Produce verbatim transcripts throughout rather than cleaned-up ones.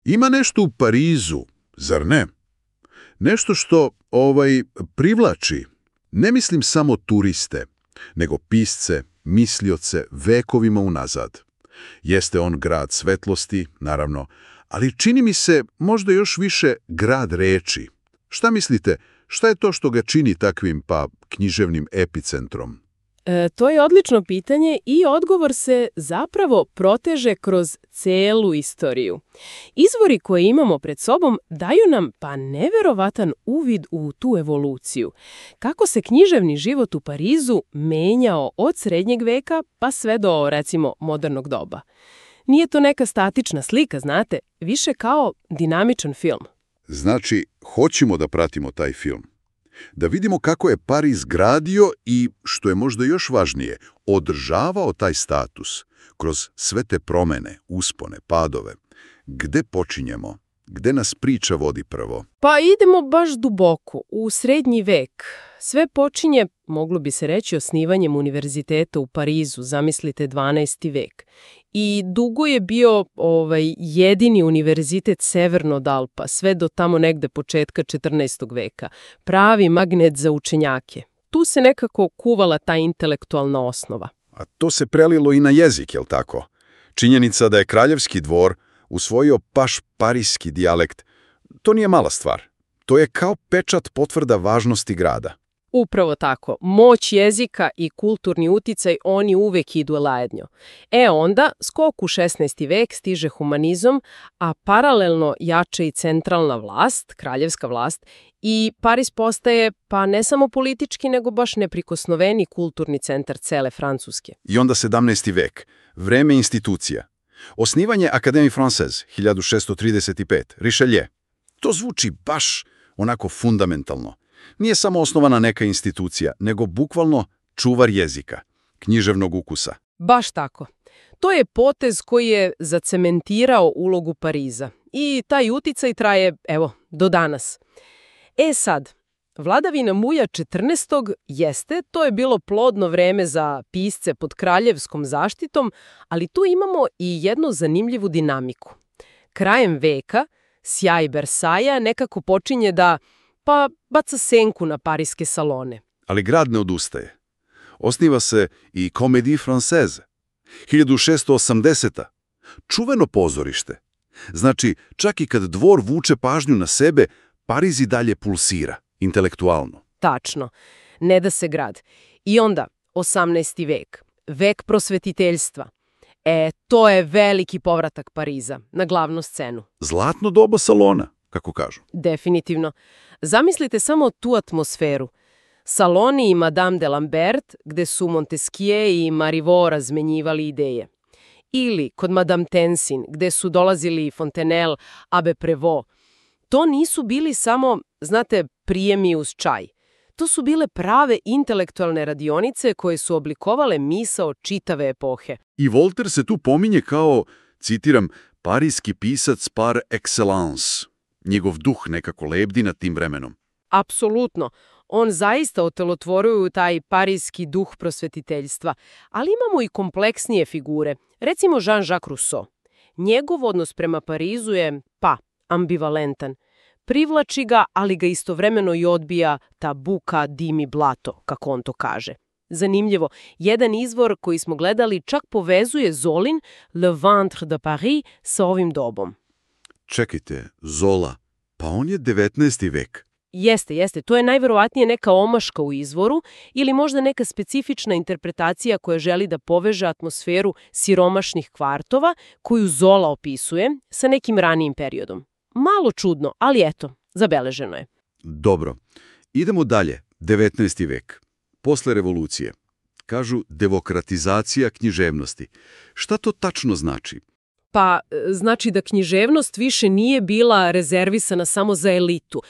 Ima nešto u Parizu, zar ne? Nešto što ovaj privlači. Ne mislim samo turiste, nego pisce, mislioce vekovima unazad. Jeste on grad svetlosti, naravno, ali čini mi se možda još više grad reči. Šta mislite, šta je to što ga čini takvim, pa, književnim epicentrom? E, to je odlično pitanje i odgovor se zapravo proteže kroz celu istoriju. Izvori koje imamo pred sobom daju nam pa neverovatan uvid u tu evoluciju. Kako se književni život u Parizu menjao od srednjeg veka pa sve do, recimo, modernog doba. Nije to neka statična slika, znate, više kao dinamičan film. Znači, hoćemo da pratimo taj film. Da vidimo kako je Pariz gradio i, što je možda još važnije, održavao taj status kroz sve te promene, uspone, padove. Gde počinjemo? Gde nas priča vodi prvo? Pa idemo baš duboko, u srednji vek. Sve počinje, moglo bi se reći, osnivanjem univerziteta u Parizu, zamislite dvanaesti vek. I dugo je bio ovaj, jedini univerzitet severno od Alpa, sve do tamo negde početka četrnaestog veka. Pravi magnet za učenjake. Tu se nekako kuvala ta intelektualna osnova. A to se prelilo i na jezik, jel tako? Činjenica da je kraljevski dvor usvojio baš parijski dijalekt, to nije mala stvar. To je kao pečat potvrda važnosti grada. Upravo tako. Moć jezika i kulturni uticaj, oni uvek idu lajednjo. E onda, skok u šesnaesti vek stiže humanizam, a paralelno jača i centralna vlast, kraljevska vlast, i Pariz postaje pa ne samo politički, nego baš neprikosnoveni kulturni centar cele Francuske. I onda sedamnaesti vek, vreme institucija. Osnivanje Akademije Française, hiljadu šessto trideset pet, Richelieu. To zvuči baš onako fundamentalno. Nije samo osnovana neka institucija, nego bukvalno čuvar jezika, književnog ukusa. Baš tako. To je potez koji je zacementirao ulogu Pariza. I taj uticaj traje, evo, do danas. E sad, vladavina Muja četrnaestog jeste, to je bilo plodno vreme za pisce pod kraljevskom zaštitom, ali tu imamo i jednu zanimljivu dinamiku. Krajem veka sjaj Versaja nekako počinje da, pa, baca senku na pariske salone. Ali grad ne odustaje. Osniva se i Comédie Française, hiljadu šessto osamdeseta. Čuveno pozorište. Znači, čak i kad dvor vuče pažnju na sebe, Pariz i dalje pulsira, intelektualno. Tačno. Ne da se grad. I onda, osamnaesti vek. Vek prosvetiteljstva. E, to je veliki povratak Pariza na glavnu scenu. Zlatno doba salona, kako kažu. Definitivno. Zamislite samo tu atmosferu. Saloni i Madame de Lambert, gde su Montesquieu i Marivaux razmenjivali ideje. Ili kod Madame Tensin, gde su dolazili Fontenelle, Abbé Prévost. To nisu bili samo, znate, prijemi uz čaj. To su bile prave intelektualne radionice koje su oblikovale misao čitave epohe. I Voltaire se tu pominje kao, citiram, parijski pisac par excellence. Njegov duh nekako lebdi nad tim vremenom. Apsolutno. On zaista otelotvoruje taj parijski duh prosvetiteljstva. Ali imamo i kompleksnije figure. Recimo Jean-Jacques Rousseau. Njegov odnos prema Parizu je, pa, ambivalentan. Privlači ga, ali ga istovremeno i odbija ta buka, dim i blato, kako on to kaže. Zanimljivo, jedan izvor koji smo gledali čak povezuje Zolin, Le Ventre de Paris, sa ovim dobom. Čekajte, Zola, pa on je devetnaesti vek. Jeste, jeste. To je najverovatnije neka omaška u izvoru ili možda neka specifična interpretacija koja želi da poveže atmosferu siromašnih kvartova koju Zola opisuje sa nekim ranijim periodom. Malo čudno, ali eto, zabeleženo je. Dobro. Idemo dalje. devetnaesti vek. Posle revolucije. Kažu demokratizacija književnosti. Šta to tačno znači? Pa, znači da književnost više nije bila rezervisana samo za elitu.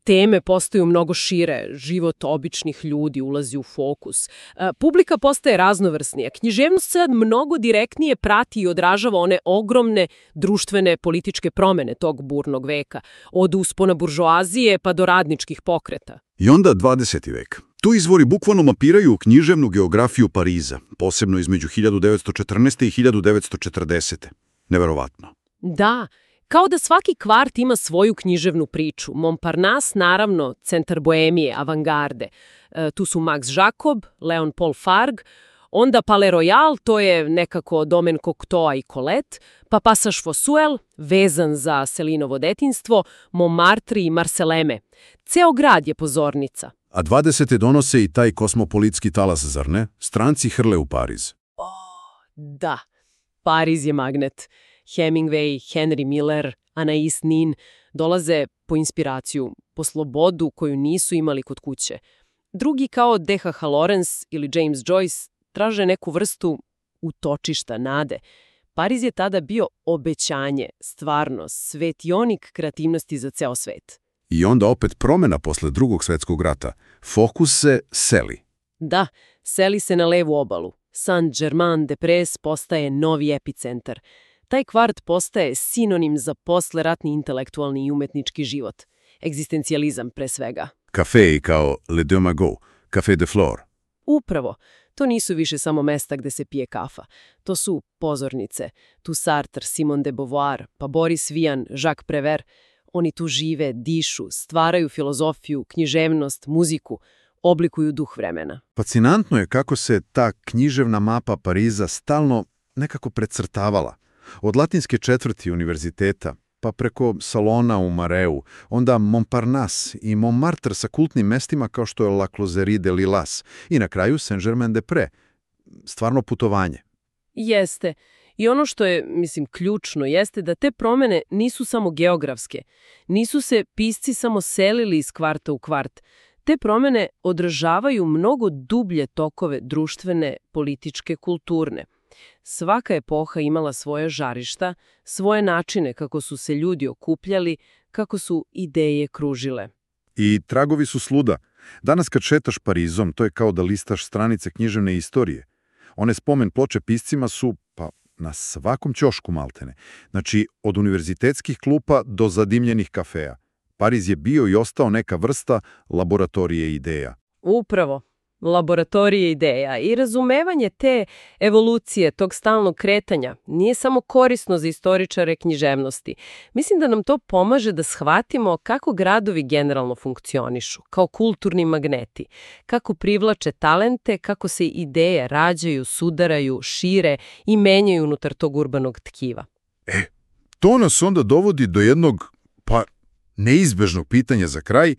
Teme postaju mnogo šire, život običnih ljudi ulazi u fokus. Publika postaje raznovrsnija. Književnost sad mnogo direktnije prati i odražava one ogromne društvene političke promene tog burnog veka, od uspona buržoazije pa do radničkih pokreta. I onda dvadeseti vek. Tu izvori bukvalno mapiraju književnu geografiju Pariza, posebno između hiljadu devetsto četrnaeste. i hiljadu devetsto četrdesete. Neverovatno. Da, Kao da svaki kvart ima svoju književnu priču. Montparnasse, naravno, centar boemije, avangarde. E, tu su Max Jacob, Leon Paul Fargue, onda Palais Royal, to je nekako domen Cocteau i Colette, pa Passage Fossuel, vezan za Selinovo detinjstvo, Montmartre i Marseleme. Ceo grad je pozornica. A dvadesete donose i taj kosmopolitski talas, zar ne? Stranci hrle u Pariz. Da, Pariz je magnet. Hemingway, Henry Miller, Anais Nin dolaze po inspiraciju, po slobodu koju nisu imali kod kuće. Drugi kao D H H. Lawrence ili James Joyce traže neku vrstu utočišta, nade. Pariz je tada bio obećanje, stvarnost, svetionik kreativnosti za ceo svet. I onda opet promjena posle drugog svjetskog rata. Fokus se seli. Da, seli se na levu obalu. Saint-Germain-des-Prés postaje novi epicentar. Taj kvart postaje sinonim za posleratni intelektualni i umetnički život. Egzistencijalizam pre svega. Kafeji kao Le Deux Magots, Café de Flore. Upravo. To nisu više samo mesta gde se pije kafa. To su pozornice. Tu Sartre, Simone de Beauvoir, pa Boris Vian, Jacques Prévert. Oni tu žive, dišu, stvaraju filozofiju, književnost, muziku, oblikuju duh vremena. Fascinantno je kako se ta književna mapa Pariza stalno nekako precrtavala. Od latinske četvrti univerziteta, pa preko salona u Mareu, onda Montparnasse i Montmartre sa kultnim mestima kao što je La Closerie de Lilas i na kraju Saint-Germain-des-Prés. Stvarno putovanje. Jeste. I ono što je, mislim, ključno jeste da te promene nisu samo geografske. Nisu se pisci samo selili iz kvarta u kvart. Te promene odražavaju mnogo dublje tokove društvene, političke, kulturne. Svaka epoha imala svoje žarišta, svoje načine kako su se ljudi okupljali, kako su ideje kružile. I tragovi su sluda. Danas kad šetaš Parizom, to je kao da listaš stranice književne istorije. One spomen ploče piscima su, pa, na svakom ćošku maltene. Znači, od univerzitetskih klupa do zadimljenih kafeja. Pariz je bio i ostao neka vrsta laboratorije ideja. Upravo. Laboratorije ideja i razumevanje te evolucije, tog stalnog kretanja, nije samo korisno za istoričare književnosti. Mislim da nam to pomaže da shvatimo kako gradovi generalno funkcionišu, kao kulturni magneti, kako privlače talente, kako se ideje rađaju, sudaraju, šire i menjaju unutar tog urbanog tkiva. E, to nas onda dovodi do jednog, pa, neizbežnog pitanja za kraj.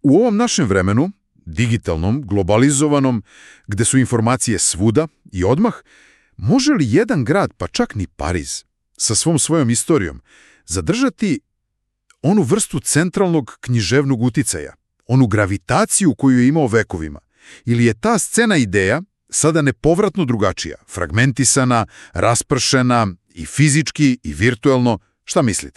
U ovom našem vremenu, digitalnom, globalizovanom, gde su informacije svuda i odmah, može li jedan grad, pa čak ni Pariz, sa svom svojom istorijom, zadržati onu vrstu centralnog književnog uticaja, onu gravitaciju koju je imao vekovima? Ili je ta scena ideja sada nepovratno drugačija, fragmentisana, raspršena i fizički i virtuelno? Šta mislite?